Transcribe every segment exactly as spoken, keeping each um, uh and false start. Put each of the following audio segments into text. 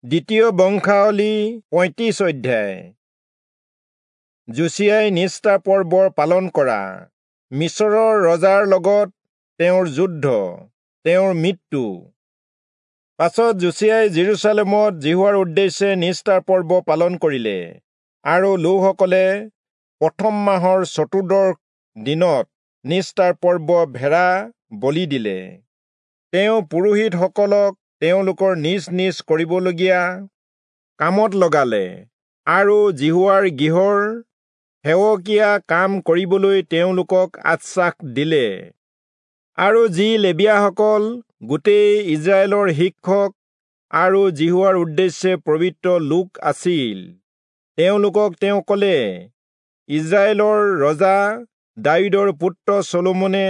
দ্বিতীয় বংশাৱলী পঁয়ত্ৰিশ অধ্যায়। যোচিয়াই নিষ্ঠা পৰ্বৰ পালন কৰা, মিচৰৰ ৰজাৰ লগত তেওঁৰ যুদ্ধ, তেওঁৰ মৃত্যু। পাছত যোচিয়াই যিৰূচালেমত যিহোৱাৰ উদ্দেশ্যে নিষ্ঠাৰ পৰ্ব পালন কৰিলে, আৰু লোকসকলে প্ৰথম মাহৰ চতুৰ্দশ দিনত নিষ্ঠাৰ পৰ্ব ভেড়া বলি দিলে। তেওঁ পুৰোহিতসকলক তেওঁলোকৰ নিজ নিজ কৰিবলগীয়া কামত লগালে, আৰু যিহোৱাৰ গৃহৰ সেৱকীয়া কাম কৰিবলৈ তেওঁলোকক আশ্বাস দিলে। আৰু যি লেবীয়াসকল গোটেই ইস্ৰায়েলৰ শিক্ষক আৰু যিহোৱাৰ উদ্দেশ্যে পবিত্ৰ লোক আছিল, তেওঁলোকক তেওঁ ক'লে, ইস্ৰায়েলৰ ৰজা দায়ূদৰ পুত্ৰ চলোমনে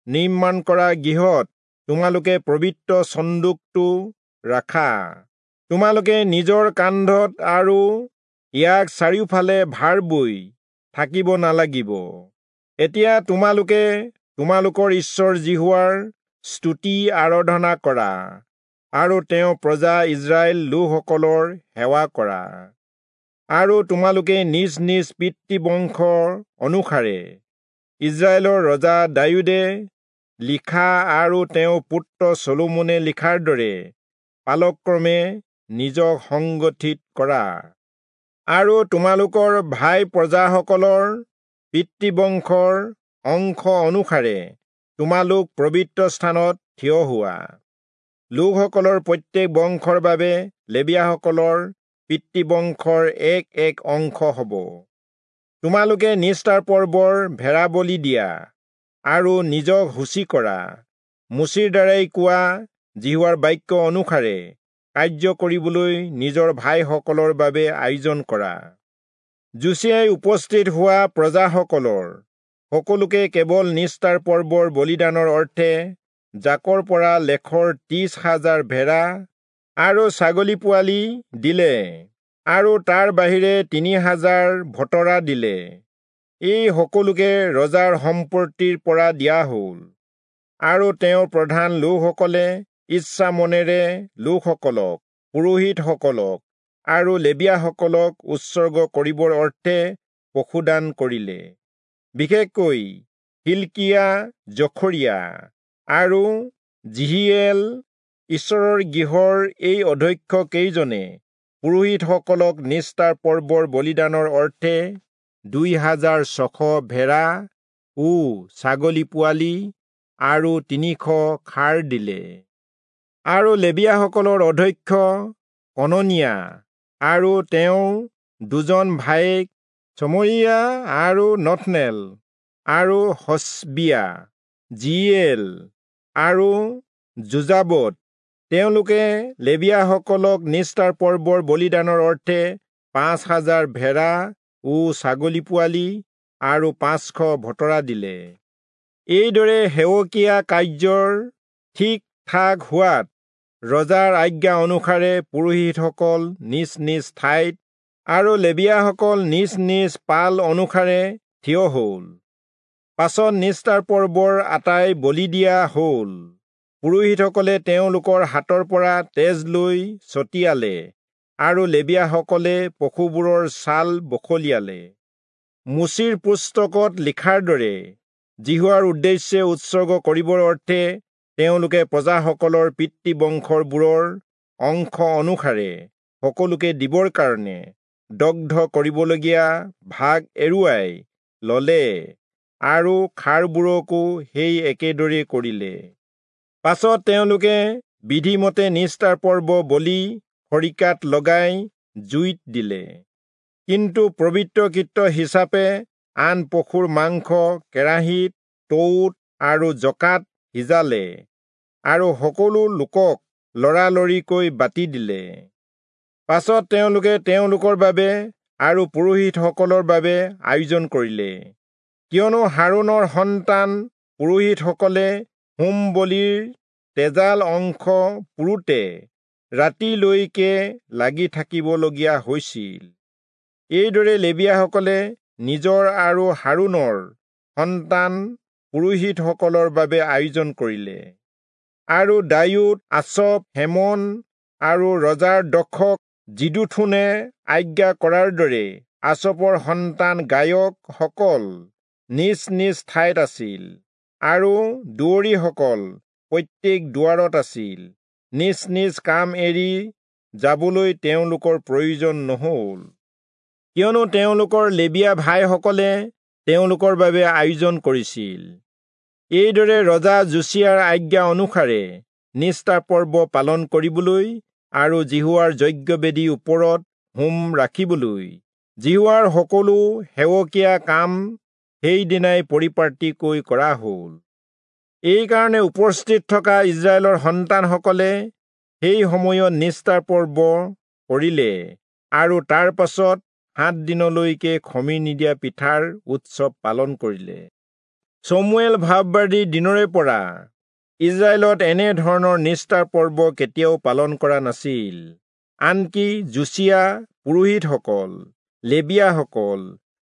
নিৰ্মাণ কৰা গৃহত তোমালোকে পবিত্ৰ চন্দুকটো ৰাখা। তোমালোকে নিজৰ কান্ধত আৰু ইয়াক চাৰিওফালে ভাৰ বৈ থাকিব নালাগিব। এতিয়া তোমালোকে তোমালোকৰ ঈশ্বৰ যিহোৱাৰ স্তুতি আৰাধনা কৰা আৰু তেওঁ প্ৰজা ইস্ৰায়েল লোকসকলৰ সেৱা কৰা। আৰু তোমালোকে নিজ নিজ পিতৃবংশৰ অনুসাৰে ইস্ৰায়েলৰ ৰজা দায়ূদে লিখা আৰু তেওঁৰ পুত্ৰ চলোমনে লিখাৰ দৰে পালক্ৰমে নিজক সংগঠিত কৰা। আৰু তোমালোকৰ ভাই প্ৰজাসকলৰ পিতৃবংশৰ অংশ অনুসাৰে তোমালোক পবিত্ৰ স্থানত থিয় হোৱা। লোকসকলৰ প্ৰত্যেক বংশৰ বাবে লেবীয়াসকলৰ পিতৃবংশৰ এক এক অংশ হ'ব। তোমালোকে নিষ্ঠাৰ পৰ্বৰ ভেড়া বলি দিয়া আৰু নিজক শুচি কৰা। মোচিৰ দ্বাৰাই কোৱা যিহোৱাৰ বাক্য অনুসাৰে কাৰ্য কৰিবলৈ নিজৰ ভাইসকলৰ বাবে আয়োজন কৰা। যোচিয়াই উপস্থিত হোৱা প্ৰজাসকলৰ সকলোকে কেৱল নিষ্ঠাৰ পৰ্বৰ বলিদানৰ অৰ্থে জাকৰ পৰা লেখৰ ত্ৰিশ হাজাৰ ভেড়া আৰু ছাগলী পোৱালি দিলে, আৰু তাৰ বাহিৰে তিনি হাজাৰ ভতৰা দিলে। এই সকলোকে ৰজাৰ সম্পত্তিৰ পৰা দিয়া হ'ল। আৰু তেওঁৰ প্ৰধান লোকসকলে ইচ্ছা মনেৰে লোকসকলক, পুৰোহিতসকলক আৰু লেবীয়াসকলক উৎসৰ্গ কৰিবৰ অৰ্থে পশুদান কৰিলে। বিশেষকৈ হিল্কিয়া, জখৰিয়া আৰু যিহীয়েল ঈশ্বৰৰ গৃহৰ এই অধ্যক্ষ কেইজনে পুৰোহিতসকলক নিষ্ঠাৰ পৰ্বৰ বলিদানৰ অৰ্থে দুই হাজাৰ ছশ ভেড়া ও ছাগলী পোৱালি আৰু তিনিশ ষাঁড় দিলে। আৰু লেবীয়াসকলৰ অধ্যক্ষ কননিয়া আৰু তেওঁৰ দুজন ভায়েক চমৰীয়া আৰু নথনেল আৰু হচবিয়া, যিয়েল আৰু যোজাবদ, তেওঁলোকে লেবীয়াসকলক নিষ্ঠাৰ পৰ্বৰ বলিদানৰ অৰ্থে পাঁচ হাজাৰ ভেড়া ও ছাগলী পোৱালি আৰু পাঁচশ ভতৰা দিলে। এইদৰে সেৱকীয়া কাৰ্যৰ ঠিক ঠাক হোৱাত ৰজাৰ আজ্ঞা অনুসাৰে পুৰোহিতসকল নিজ নিজ ঠাইত আৰু লেবীয়াসকল নিজ নিজ পাল অনুসাৰে থিয় হ'ল। পাছত নিষ্ঠাৰ পৰ্বৰ আটাই বলি দিয়া হ'ল। পুৰোহিতসকলে তেওঁলোকৰ হাতৰ পৰা তেজ লৈ ছটিয়ালে আৰু লেবীয়াসকলে পশুবোৰৰ ছাল বখলিয়ালে। মোচিৰ পুস্তকত লিখাৰ দৰে যিহোৱাৰ উদ্দেশ্যে উৎসৰ্গ কৰিবৰ অৰ্থে তেওঁলোকে প্ৰজাসকলৰ পিতৃবংশবোৰৰ অংশ অনুসাৰে সকলোকে দিবৰ কাৰণে দগ্ধ কৰিবলগীয়া ভাগ এৰুৱাই ললে আৰু ষাঁড়বোৰকো সেই একেদৰে কৰিলে। পাছত তেওঁলোকে বিধিমতে নিষ্ঠাৰ পৰ্ব বলি খৰিকাত লগাই জুইত দিলে। কিন্তু পবিত্ৰকৃত হিচাপে আন পশুৰ মাংস কেৰাহীত, টৌত আৰু জকাত সিজালে আৰু সকলো লোকক লৰালৰিকৈ বাটি দিলে। পাছত তেওঁলোকে তেওঁলোকৰ বাবে আৰু পুৰোহিতসকলৰ বাবে আয়োজন কৰিলে, কিয়নো হাৰোণৰ সন্তান পুৰোহিতসকলে হোম বলিৰ তেজাল অংশ পোৰোতে ৰাতিলৈকে লাগি থাকিবলগীয়া হৈছিল। এইদৰে লেবীয়াসকলে নিজৰ আৰু হাৰোণৰ সন্তান পুৰোহিতসকলৰ বাবে আয়োজন কৰিলে। আৰু দায়ূদ, আচফ, হেমন আৰু ৰজাৰ দক্ষক যিদূথূনে আজ্ঞা কৰাৰ দৰে আচপৰ সন্তান গায়কসকল নিজ নিজ ঠাইত আছিল আৰু দুৱৰীসকল প্ৰত্যেক দুৱাৰত আছিল। নিজ নিজ কাম এৰি যাবলৈ তেওঁলোকৰ প্ৰয়োজন নহল, কিয়নো তেওঁলোকৰ লেবীয়া ভাইসকলে তেওঁলোকৰ বাবে আয়োজন কৰিছিল। এইদৰে ৰজা যোচিয়াৰ আজ্ঞা অনুসাৰে নিস্তাৰ পৰ্ব পালন কৰিবলৈ আৰু যিহোৱাৰ যজ্ঞবেদীৰ ওপৰত হোম ৰাখিবলৈ যিহোৱাৰ সকলো সেৱকীয়া কাম সেইদিনাই পৰিপাটিকৈ কৰা হ'ল। এইকাৰণে উপস্থিত থকা ইস্ৰায়েলৰ সন্তানসকলে সেই সময়ত নিস্তাৰ পৰ্ব কৰিলে আৰু তাৰ পাছত সাত দিনলৈকে খমিৰ নিদিয়া পিঠাৰ উৎসৱ পালন কৰিলে। চমুৱেল ভাববাদীৰ দিনৰে পৰা ইস্ৰায়েলত এনে ধৰণৰ নিস্তাৰ পৰ্ব কেতিয়াও পালন কৰা নাছিল। আনকি যোচিয়া, পুৰোহিতসকল, লেবীয়াসকল,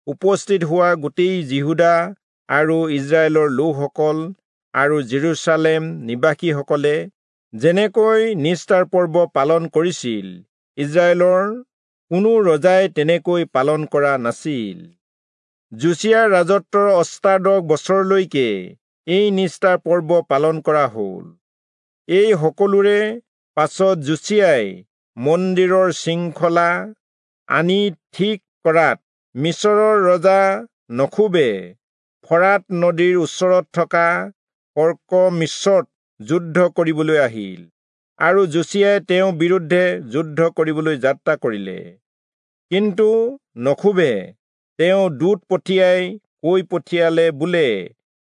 উপস্থিত হোৱা গোটেই যিহূদা আৰু ইস্ৰায়েলৰ লোকসকল আৰু জেৰুচালেম নিবাসীসকলে যেনেকৈ নিস্তাৰ পৰ্ব পালন কৰিছিল, ইস্ৰায়েলৰ কোনো ৰজাই তেনেকৈ পালন কৰা নাছিল। যোচিয়াৰ ৰাজত্বৰ অষ্টাদশ বছৰলৈকে এই নিস্তাৰ পৰ্ব পালন কৰা হ'ল। এই সকলোৰে পাছত যোচিয়াই মন্দিৰৰ শৃংখলা আনি ঠিক কৰাত মিচৰৰ ৰজা নখোবে ফৰাত নদীৰ ওচৰত থকা কৰ্কমিচত যুদ্ধ কৰিবলৈ আহিল আৰু যোচিয়াই তেওঁৰ বিৰুদ্ধে যুদ্ধ কৰিবলৈ যাত্ৰা কৰিলে। কিন্তু নখোবে তেওঁ দূত পঠিয়াই কৈ পঠিয়ালে বোলে,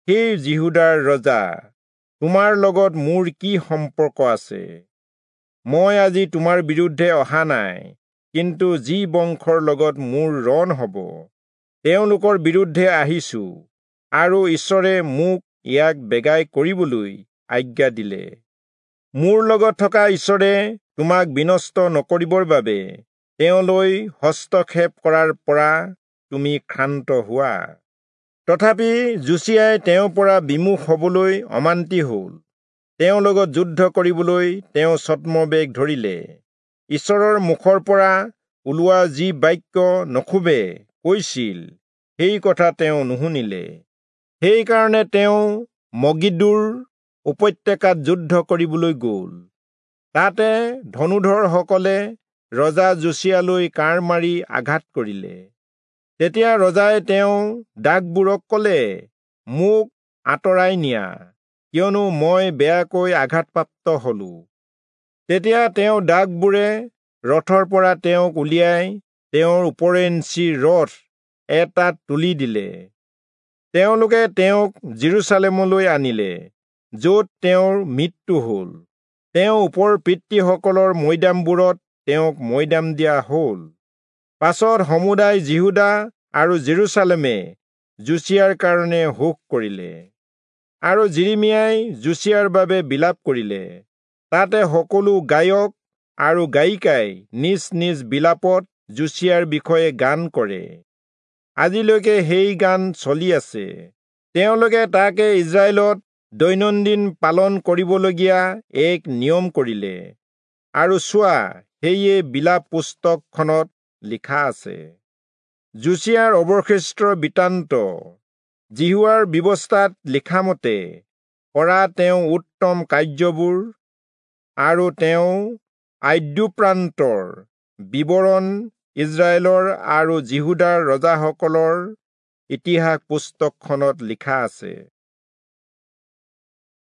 হে যিহূদাৰ ৰজা, তোমাৰ লগত মোৰ কি সম্পৰ্ক আছে? মই আজি তোমাৰ বিৰুদ্ধে অহা নাই, কিন্তু যি বংশৰ লগত মোৰ ৰণ হ'ব তেওঁলোকৰ বিৰুদ্ধে আহিছো, আৰু ঈশ্বৰে মোক ইয়াক বেগাই কৰিবলৈ আজ্ঞা দিলে। মোৰ লগত থকা ঈশ্বৰে তোমাক বিনষ্ট নকৰিবৰ বাবে তেওঁলৈ হস্তক্ষেপ কৰাৰ পৰা তুমি ক্ষান্ত হোৱা। তথাপি যোচিয়াই তেওঁৰ পৰা বিমুখ হবলৈ অমান্তি হল। তেওঁৰ লগত যুদ্ধ কৰিবলৈ তেওঁ ছদ্মবেশ ধৰিলে। ঈশ্বৰৰ মুখৰ পৰা ওলোৱা যি বাক্য নখোবে কৈছিল সেই কথা তেওঁ নুশুনিলে। সেইকাৰণে তেওঁ মগিদ্দোৰ উপত্যকাত যুদ্ধ কৰিবলৈ গ'ল। তাতে ধনুধৰসকলে ৰজা যোচিয়ালৈ কাঁড় মাৰি আঘাত কৰিলে। তেতিয়া ৰজাই তেওঁ দাসবোৰক ক'লে, মোক আঁতৰাই নিয়া, কিয়নো মই বেয়াকৈ আঘাতপ্ৰাপ্ত হলো। তেতিয়া তেওঁ দাসবোৰে ৰথৰ পৰা তেওঁক উলিয়াই তেওঁৰ ওপৰেঞ্চি ৰথ এটাত তুলি দিলে। তেওঁলোকে তেওঁক জেৰুচালেমলৈ আনিলে, য'ত তেওঁৰ মৃত্যু হ'ল। তেওঁ ওপৰ পিতৃসকলৰ মৈদামবোৰত তেওঁক মৈদাম দিয়া হ'ল। পাছত সমুদায় যিহূদা আৰু জেৰুচালেমে যোচিয়াৰ কাৰণে শোক কৰিলে, আৰু যিৰিমিয়াই যোচিয়াৰ বাবে বিলাপ কৰিলে। তাতে সকলো গায়ক আৰু গায়িকাই নিজ নিজ বিলাপত যোচিয়াৰ বিষয়ে গান কৰে। আজিলৈকে সেই গান চলি আছে। তেওঁলোকে তাকে ইস্ৰায়েলত দৈনন্দিন পালন কৰিবলগীয়া এক নিয়ম কৰিলে, আৰু চোৱা, সেয়ে বিলাপ পুস্তকখনত লিখা আছে। যোচিয়াৰ অৱশিষ্ট বৃত্তান্ত যিহোৱাৰ ব্যৱস্থাত লিখামতে কৰা তেওঁ উত্তম কাৰ্যবোৰ আৰু তেওঁ আদ্যোপ্ৰান্তৰ বিৱৰণ ইস্ৰায়েলৰ আৰু যিহূদাৰ ৰজাসকলৰ ইতিহাস পুস্তকখনত লিখা আছে।